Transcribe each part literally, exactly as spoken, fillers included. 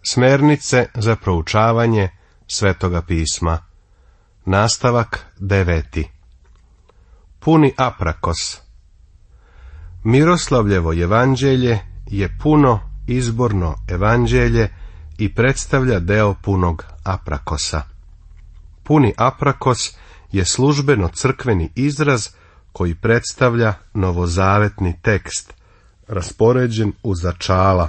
Smernice za proučavanje Svetoga pisma. Nastavak deveti. Puni aprakos. Miroslavljevo evanđelje je puno izborno evanđelje i predstavlja deo punog aprakosa. Puni aprakos je službeno crkveni izraz koji predstavlja novozavetni tekst, raspoređen u začala,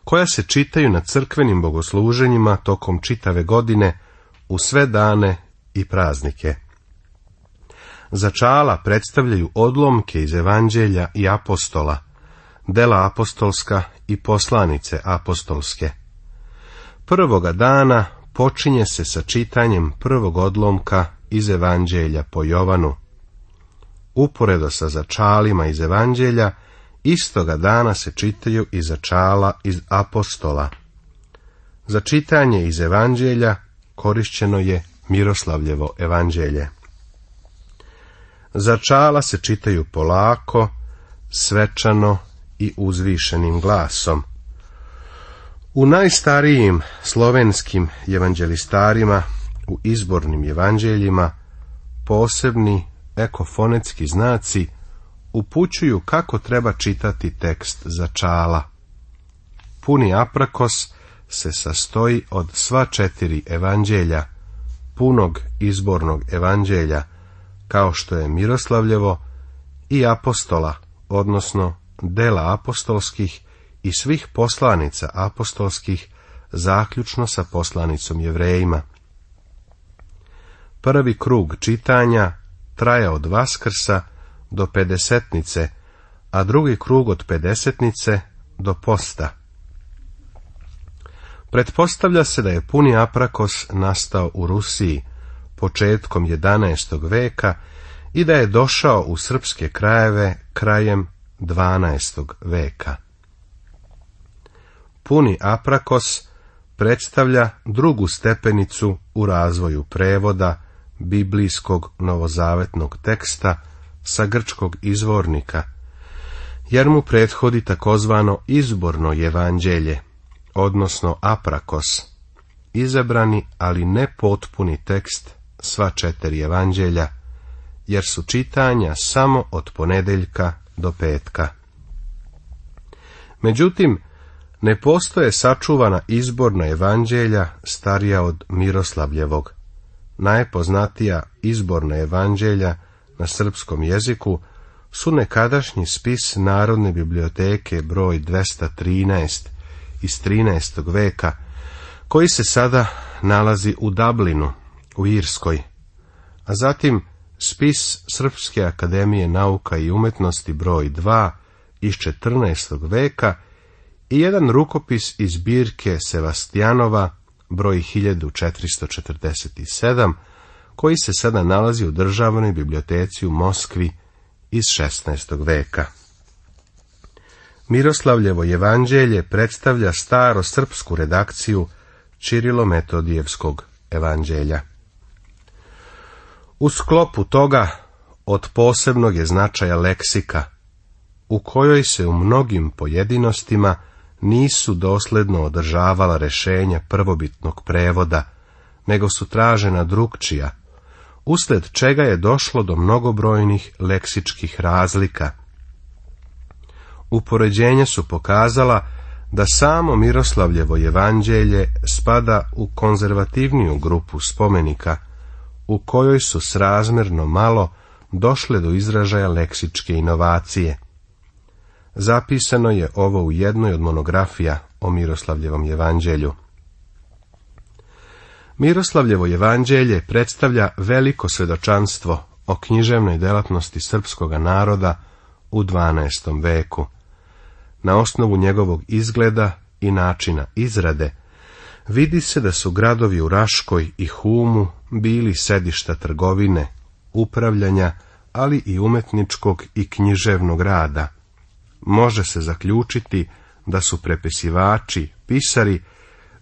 koja se čitaju na crkvenim bogosluženjima tokom čitave godine u sve dane i praznike. Začala predstavljaju odlomke iz evanđelja i apostola, dela apostolska i poslanice apostolske. Prvoga dana počinje se sa čitanjem prvog odlomka iz evanđelja po Jovanu. Uporedo sa začalima iz evanđelja, istoga dana se čitaju i začala iz apostola. Za čitanje iz evanđelja korišćeno je Miroslavljevo evanđelje. Začala se čitaju polako, svečano i uzvišenim glasom. U najstarijim slovenskim evanđelistarima, u izbornim evanđeljima, posebni ekofonetski znaci upućuju kako treba čitati tekst začala. Puni aprakos se sastoji od sva četiri evanđelja, punog izbornog evanđelja, kao što je Miroslavljevo, i apostola, odnosno dela apostolskih i svih poslanica apostolskih, zaključno sa poslanicom Jevrejima. Prvi krug čitanja traje od Vaskrsa do Pedesetnice, a drugi krug od Pedesetnice do posta. Pretpostavlja se da je puni aprakos nastao u Rusiji početkom jedanaestog veka i da je došao u srpske krajeve krajem dvanaestog veka. Puni aprakos predstavlja drugu stepenicu u razvoju prevoda biblijskog novozavetnog teksta sa grčkog izvornika, jer mu prethodi takozvano izborno evanđelje, odnosno aprakos, izabrani ali ne potpuni tekst sva četiri evanđelja, jer su čitanja samo od ponedeljka do petka. Međutim, ne postoje sačuvana izborna evanđelja starija od Miroslavljevog. Najpoznatija izborna evanđelja na srpskom jeziku su nekadašnji spis Narodne biblioteke broj dvesta trinaest iz trinaestog veka, koji se sada nalazi u Dublinu, u Irskoj, a zatim spis Srpske akademije nauka i umetnosti broj dva iz četrnaestog veka i jedan rukopis iz zbirke Sevastijanova broj hiljadu četiristo četrdeset sedam, koji se sada nalazi u Državnoj biblioteci u Moskvi iz šesnaestog veka. Miroslavljevo evanđelje predstavlja staro srpsku redakciju Čirilo-Metodijevskog evanđelja. U sklopu toga od posebnog je značaja leksika, u kojoj se u mnogim pojedinostima nisu dosledno održavala rešenja prvobitnog prevoda, nego su tražena drukčija, usled čega je došlo do mnogobrojnih leksičkih razlika. Upoređenja su pokazala da samo Miroslavljevo evanđelje spada u konzervativniju grupu spomenika, u kojoj su srazmjerno malo došle do izražaja leksičke inovacije. Zapisano je ovo u jednoj od monografija o Miroslavljevom evanđelju. Miroslavljevo evanđelje predstavlja veliko svjedočanstvo o književnoj delatnosti srpskoga naroda u dvanaestom veku. Na osnovu njegovog izgleda i načina izrade vidi se da su gradovi u Raškoj i Humu bili sedišta trgovine, upravljanja, ali i umetničkog i književnog rada. Može se zaključiti da su prepisivači, pisari,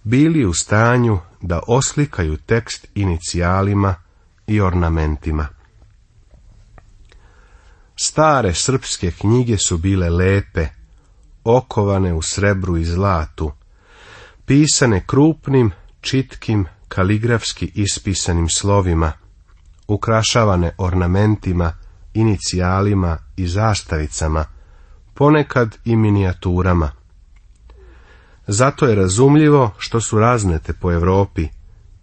bili u stanju da oslikaju tekst inicijalima i ornamentima. Stare srpske knjige su bile lepe, okovane u srebru i zlatu, pisane krupnim, čitkim, kaligrafski ispisanim slovima, ukrašavane ornamentima, inicijalima i zastavicama, ponekad i minijaturama. Zato je razumljivo što su raznete po Europi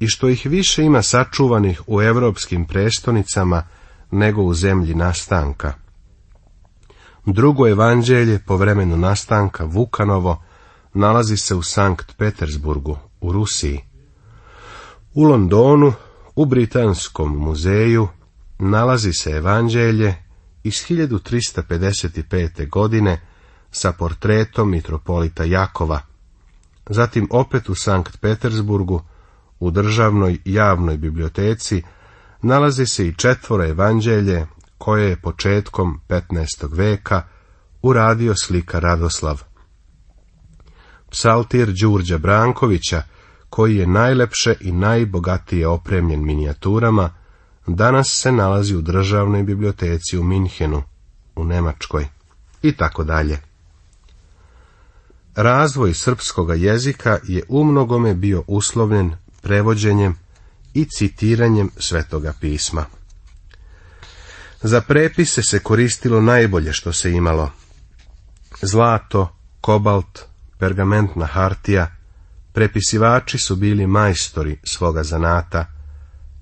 i što ih više ima sačuvanih u europskim prestonicama nego u zemlji nastanka. Drugo evanđelje po vremenu nastanka, Vukanovo, nalazi se u Sankt Petersburgu, u Rusiji. U Londonu, u Britanskom muzeju, nalazi se evanđelje iz hiljadu trista pedeset pete. godine sa portretom mitropolita Jakova. Zatim opet u Sankt Petersburgu, u državnoj javnoj biblioteci, nalazi se i četvoro evanđelje koje je početkom petnaestog veka uradio slikar Radoslav. Psaltir Đurđa Brankovića, koji je najlepše i najbogatije opremljen minijaturama, danas se nalazi u državnoj biblioteci u Minhenu, u Njemačkoj, i tako dalje. Razvoj srpskoga jezika je umnogome bio uslovljen prevođenjem i citiranjem Svetoga pisma. Za prepise se koristilo najbolje što se imalo: zlato, kobalt, pergamentna hartija. Prepisivači su bili majstori svoga zanata,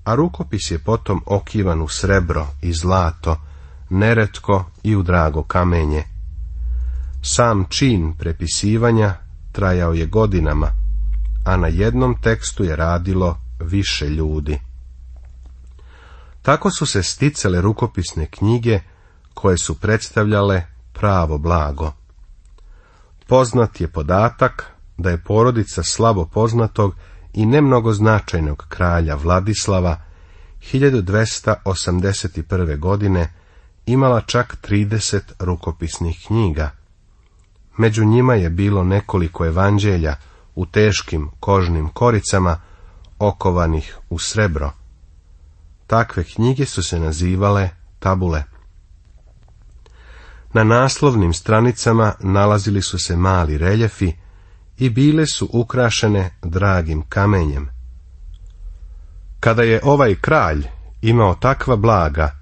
a rukopis je potom okivan u srebro i zlato, neretko i u drago kamenje. Sam čin prepisivanja trajao je godinama, a na jednom tekstu je radilo više ljudi. Tako su se sticale rukopisne knjige koje su predstavljale pravo blago. Poznat je podatak da je porodica slabo poznatog i nemnogo značajnog kralja Vladislava hiljadu dvesta osamdeset prve. godine imala čak trideset rukopisnih knjiga. Među njima je bilo nekoliko evanđelja u teškim kožnim koricama, okovanih u srebro. Takve knjige su se nazivale tabule. Na naslovnim stranicama nalazili su se mali reljefi i bile su ukrašene dragim kamenjem. Kada je ovaj kralj imao takva blaga,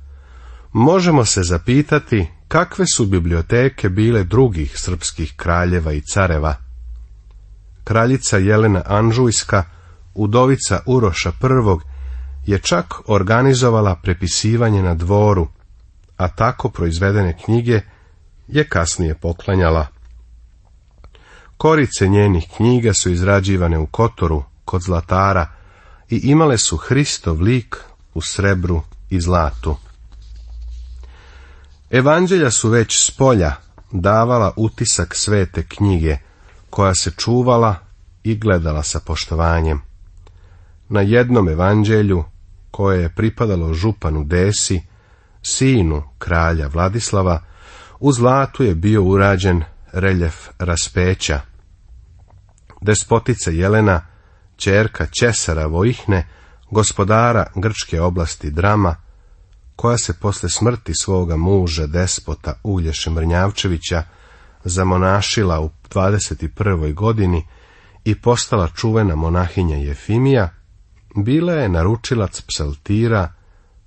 možemo se zapitati kakve su biblioteke bile drugih srpskih kraljeva i careva. Kraljica Jelena Anžujska, udovica Uroša prvog, je čak organizovala prepisivanje na dvoru, a tako proizvedene knjige je kasnije poklanjala. Korice njenih knjiga su izrađivane u Kotoru, kod zlatara, i imale su Hristov lik u srebru i zlatu. Evanđelja su već spolja davala utisak svete knjige, koja se čuvala i gledala sa poštovanjem. Na jednom evanđelju, koje je pripadalo županu Desi, sinu kralja Vladislava, u zlatu je bio urađen reljef raspeća. Despotica Jelena, ćerka Ćesara Vojihne, gospodara grčke oblasti Drama, koja se posle smrti svoga muža despota Ulješe Mrnjavčevića zamonašila u dvadeset prvoj. godini i postala čuvena monahinja Jefimija, bila je naručilac psaltira,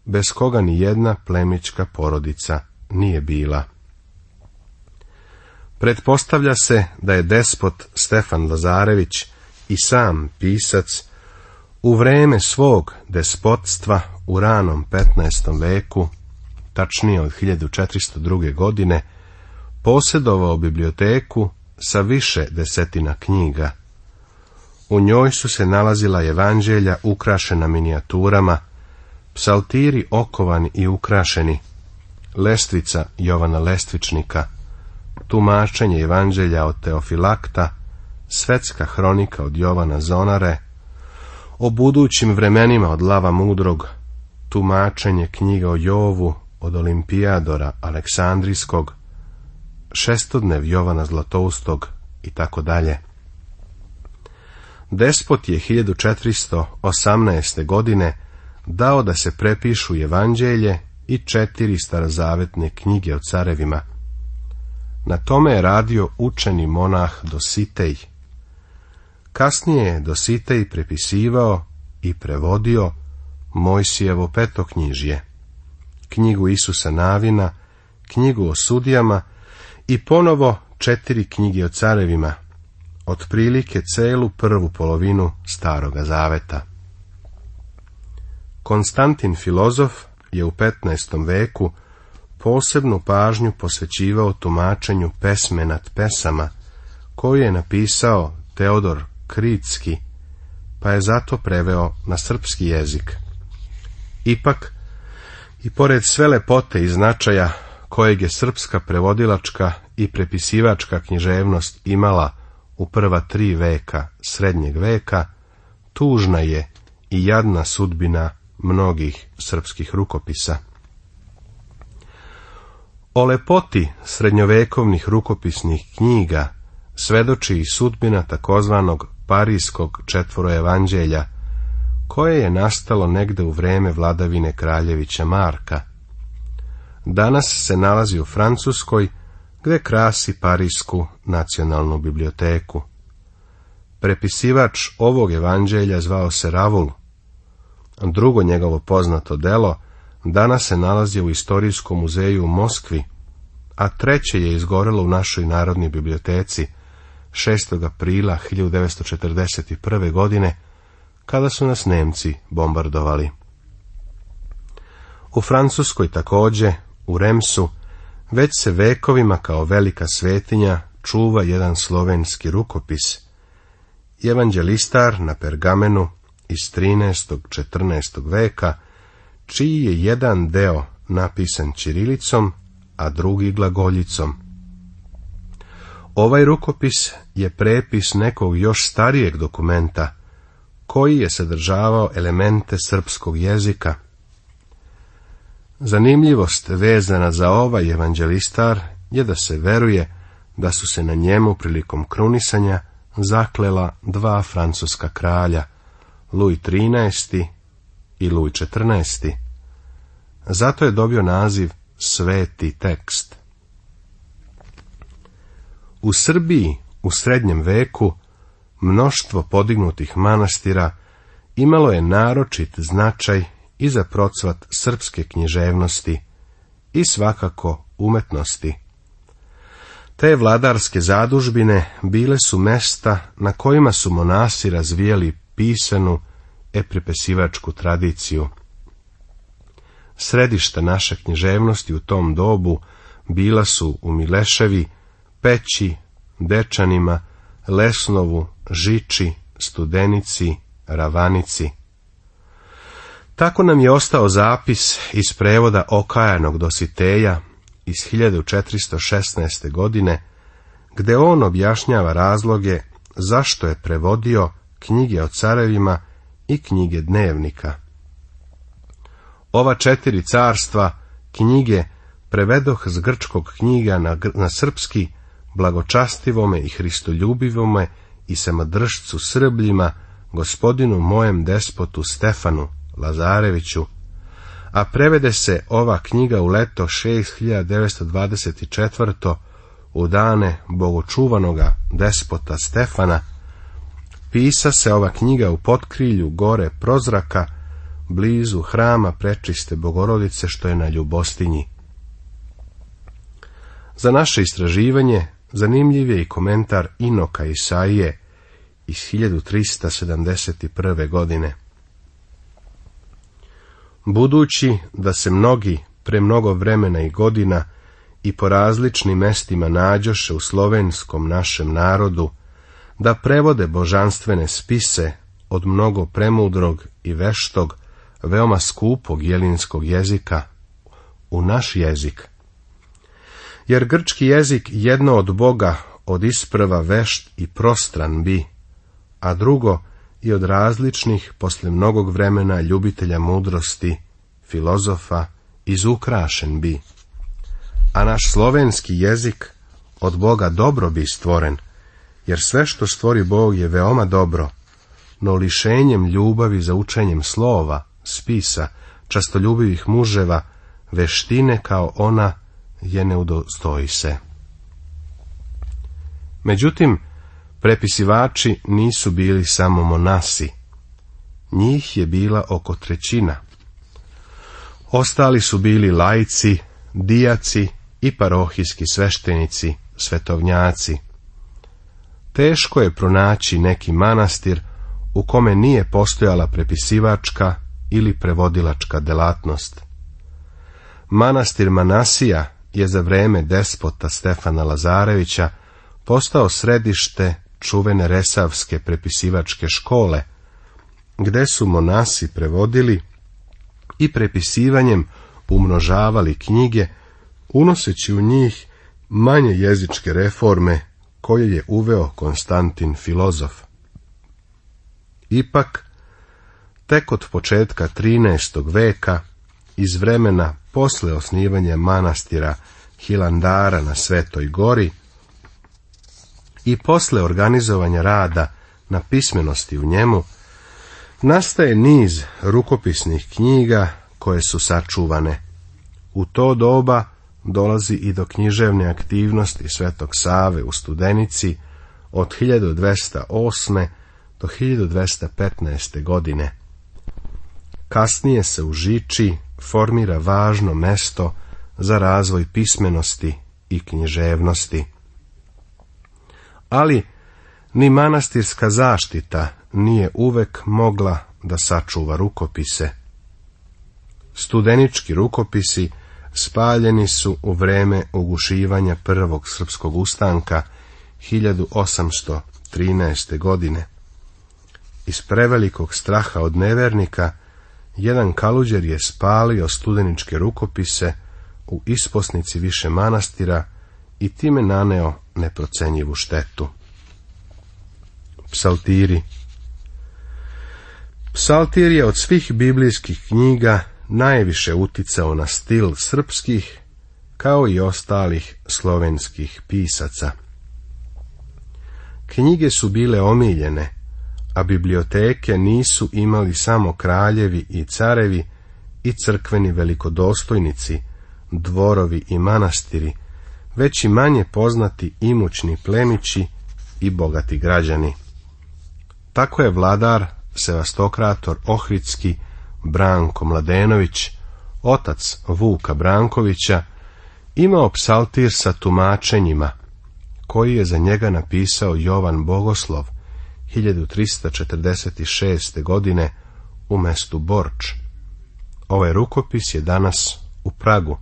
bez koga ni jedna plemićka porodica nije bila. Pretpostavlja se da je despot Stefan Lazarević i sam pisac u vreme svog despotstva u ranom petnaestom veku, tačnije od hiljadu četiristo druge. godine, posjedovao biblioteku sa više desetina knjiga. U njoj su se nalazila evanđelja ukrašena minijaturama, psaltiri okovani i ukrašeni, lestvica Jovana Lestvičnika, tumačenje evanđelja od Teofilakta, svetska hronika od Jovana Zonare, o budućim vremenima od Lava Mudrog, tumačenje knjiga o Jovu od Olimpijadora Aleksandrijskog, šestodnev Jovana Zlatoustog i tako dalje. Despot je hiljadu četiristo osamnaeste. godine dao da se prepišu evanđelje i četiri starozavetne knjige o carevima. Na tome je radio učeni monah Dositej. kasnije je Dositej prepisivao i prevodio Mojsijevo petoknjižje, knjigu Isusa Navina, knjigu o sudijama i ponovo četiri knjige o carevima, otprilike celu prvu polovinu Staroga zaveta. Konstantin filozof je u petnaestom veku posebnu pažnju posvećivao tumačenju pesme nad pesama, koju je napisao Teodor Kritski, pa je zato preveo na srpski jezik. Ipak, i pored sve lepote i značaja kojeg je srpska prevodilačka i prepisivačka književnost imala u prva tri veka srednjeg veka, tužna je i jadna sudbina mnogih srpskih rukopisa. O lepoti srednjovekovnih rukopisnih knjiga svedoči i sudbina takozvanog Parijskog četvoroevanđelja, koje je nastalo negde u vreme vladavine kraljevića Marka. Danas se nalazi u Francuskoj, gde krasi Parijsku nacionalnu biblioteku. Prepisivač ovog evanđelja zvao se Ravul. Drugo njegovo poznato delo danas se nalazi u Istorijskom muzeju u Moskvi, a treće je izgorelo u našoj Narodnoj biblioteci šestog aprila hiljadu devetsto četrdeset prve. godine, kada su nas Nemci bombardovali. U Francuskoj takođe, u Remsu, već se vekovima kao velika svetinja čuva jedan slovenski rukopis, evanđelistar na pergamenu iz trinaestog i četrnaestog veka, čiji je jedan deo napisan ćirilicom, a drugi glagoljicom. Ovaj rukopis je prepis nekog još starijeg dokumenta, koji je sadržavao elemente srpskog jezika. Zanimljivost vezana za ovaj evanđelistar je da se veruje da su se na njemu prilikom krunisanja zaklela dva francuska kralja, Luj trinaesti i Luj četrnaesti. Zato je dobio naziv Sveti tekst. U Srbiji u srednjem veku mnoštvo podignutih manastira imalo je naročit značaj i za procvat srpske književnosti i svakako umetnosti. Te vladarske zadužbine bile su mesta na kojima su monasi razvijali pisanu eprepesivačku tradiciju. Središta naše književnosti u tom dobu bila su u Mileševi, Peći, Dečanima, Lesnovu, Žiči, Studenici, Ravanici. Tako nam je ostao zapis iz prevoda okajanog Dositeja iz hiljadu četiristo šesnaeste. godine, gde on objašnjava razloge zašto je prevodio knjige o carevima i knjige dnevnika. Ova četiri carstva knjige prevedoh s grčkog knjiga na, na srpski blagočastivome i hristoljubivome i samodržcu Srbljima, gospodinu mojem despotu Stefanu Lazareviću, a prevede se ova knjiga u leto šest hiljada devetsto dvadeset četvrte. u dane bogočuvanoga despota Stefana. Pisa se ova knjiga u potkrilju gore Prozraka, blizu hrama Prečiste Bogorodice, što je na Ljubostinji. Za naše istraživanje zanimljiv je i komentar Inoka Isaije iz hiljadu trista sedamdeset prve. godine. Budući da se mnogi pre mnogo vremena i godina i po različnim mestima nađoše u slovenskom našem narodu, da prevode božanstvene spise od mnogo premudrog i veštog, veoma skupog jelinskog jezika u naš jezik. Jer grčki jezik jedno od Boga od isprva vešt i prostran bi, a drugo i od različnih posle mnogog vremena ljubitelja mudrosti, filozofa, izukrašen bi. A naš slovenski jezik od Boga dobro bi stvoren, jer sve što stvori Bog je veoma dobro, no lišenjem ljubavi za učenjem slova, spisa, častoljubivih muževa, veštine kao ona je ne udostoji se. Međutim, Prepisivači nisu bili samo monasi. Njih je bila oko trećina. Ostali su bili laici, dijaci i parohijski sveštenici, svetovnjaci. Teško je pronaći neki manastir u kome nije postojala prepisivačka ili prevodilačka delatnost. Manastir Manasija je za vreme despota Stefana Lazarevića postao središte čuvene resavske prepisivačke škole, gde su monasi prevodili i prepisivanjem umnožavali knjige, unoseći u njih manje jezičke reforme koje je uveo Konstantin Filozof. Ipak, tek od početka trinaestog veka, iz vremena posle osnivanja manastira Hilandara na Svetoj gori i posle organizovanja rada na pismenosti u njemu, nastaje niz rukopisnih knjiga koje su sačuvane. U to doba dolazi i do književne aktivnosti Svetog Save u Studenici od hiljadu dvesta osme do hiljadu dvesta petnaeste. godine. Kasnije se u Žiči formira važno mesto za razvoj pismenosti i književnosti. Ali ni manastirska zaštita nije uvek mogla da sačuva rukopise. Studenički rukopisi spaljeni su u vreme ugušivanja prvog srpskog ustanka hiljadu osamsto trinaeste. godine. Iz prevelikog straha od nevernika, jedan kaluđer je spalio studeničke rukopise u isposnici više manastira i time naneo neprocenjivu štetu. Psaltiri. Psaltir je od svih biblijskih knjiga najviše uticao na stil srpskih, kao i ostalih slovenskih pisaca. Knjige su bile omiljene, a biblioteke nisu imali samo kraljevi i carevi i crkveni velikodostojnici, dvorovi i manastiri, već i manje poznati imućni plemići i bogati građani. Tako je vladar Sevastokrator Ohridski Branko Mladenović, otac Vuka Brankovića, imao psaltir sa tumačenjima, koji je za njega napisao Jovan Bogoslov hiljadu trista četrdeset šeste. godine u mestu Borč. Ovaj rukopis je danas u Pragu.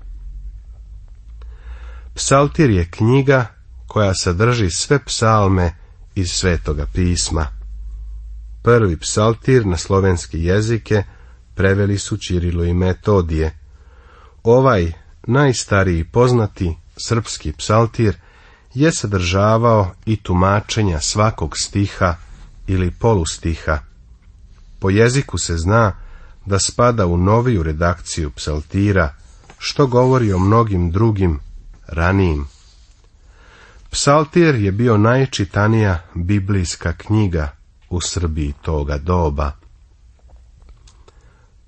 Psaltir je knjiga koja sadrži sve psalme iz Svetoga pisma. Prvi psaltir na slovenske jezike preveli su Ćirilo i Metodije. Ovaj najstariji poznati srpski psaltir je sadržavao i tumačenja svakog stiha ili polustiha. Po jeziku se zna da spada u noviju redakciju psaltira, što govori o mnogim drugim ranijim. Psaltir je bio najčitanija biblijska knjiga u Srbiji toga doba.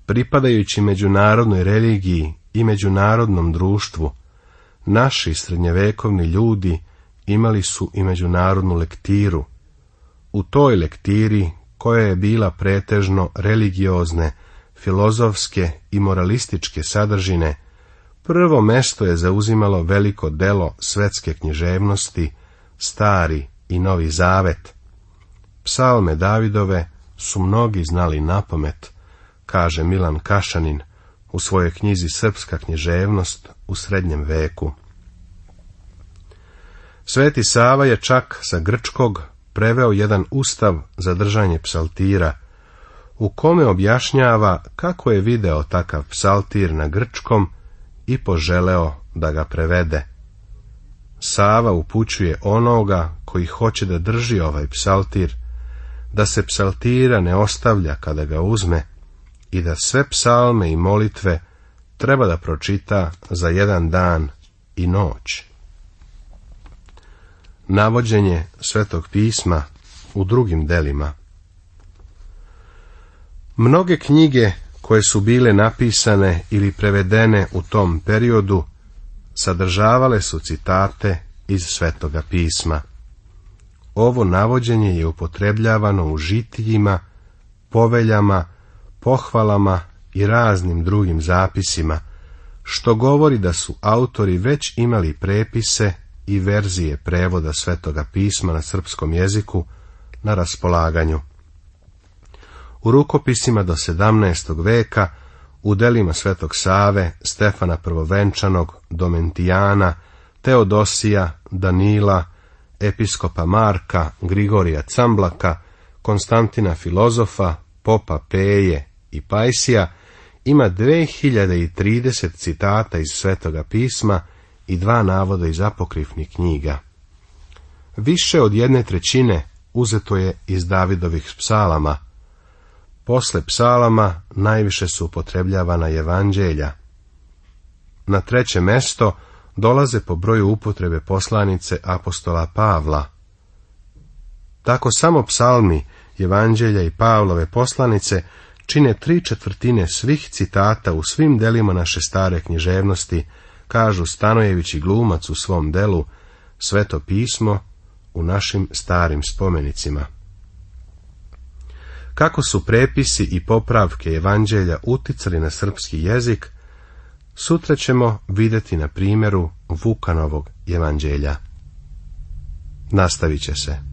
Pripadajući međunarodnoj religiji i međunarodnom društvu, naši srednjevekovni ljudi imali su i međunarodnu lektiru. U toj lektiri, koja je bila pretežno religiozne, filozofske i moralističke sadržine, prvo mesto je zauzimalo veliko delo svetske književnosti, Stari i Novi Zavet. Psalme Davidove su mnogi znali napamet, kaže Milan Kašanin u svojoj knjizi Srpska književnost u srednjem veku. Sveti Sava je čak sa grčkog preveo jedan ustav za držanje psaltira, u kome objašnjava kako je video takav psaltir na grčkom i poželeo da ga prevede. Sava upućuje onoga koji hoće da drži ovaj psaltir, da se psaltira ne ostavlja kada ga uzme i da sve psalme i molitve treba da pročita za jedan dan i noć. Navođenje Svetog pisma u drugim delima. Mnoge knjige koje su bile napisane ili prevedene u tom periodu sadržavale su citate iz Svetoga pisma. ovo navođenje je upotrebljavano u žitiljima, poveljama, pohvalama i raznim drugim zapisima, što govori da su autori već imali prepise i verzije prevoda Svetoga pisma na srpskom jeziku na raspolaganju. U rukopisima do sedamnaestog veka, u delima Svetog Save, Stefana Prvovenčanog, Domentijana, Teodosija, Danila, episkopa Marka, Grigorija Camblaka, Konstantina Filozofa, Popa Peje i Pajsija ima dve hiljade trideset citata iz Svetoga pisma i dva navoda iz apokrifnih knjiga. Više od jedne trećine uzeto je iz Davidovih psalama. Posle psalama najviše su upotrebljavana evanđelja. Na treće mesto dolaze po broju upotrebe poslanice apostola Pavla. Tako samo psalmi, evanđelja i Pavlove poslanice čine tri četvrtine svih citata u svim delima naše stare književnosti, kažu Stanojević i Glumac u svom delu Sveto pismo u našim starim spomenicima. Kako su prepisi i popravke evanđelja uticali na srpski jezik, sutra ćemo vidjeti na primjeru Vukanovog evanđelja. Nastavit će se.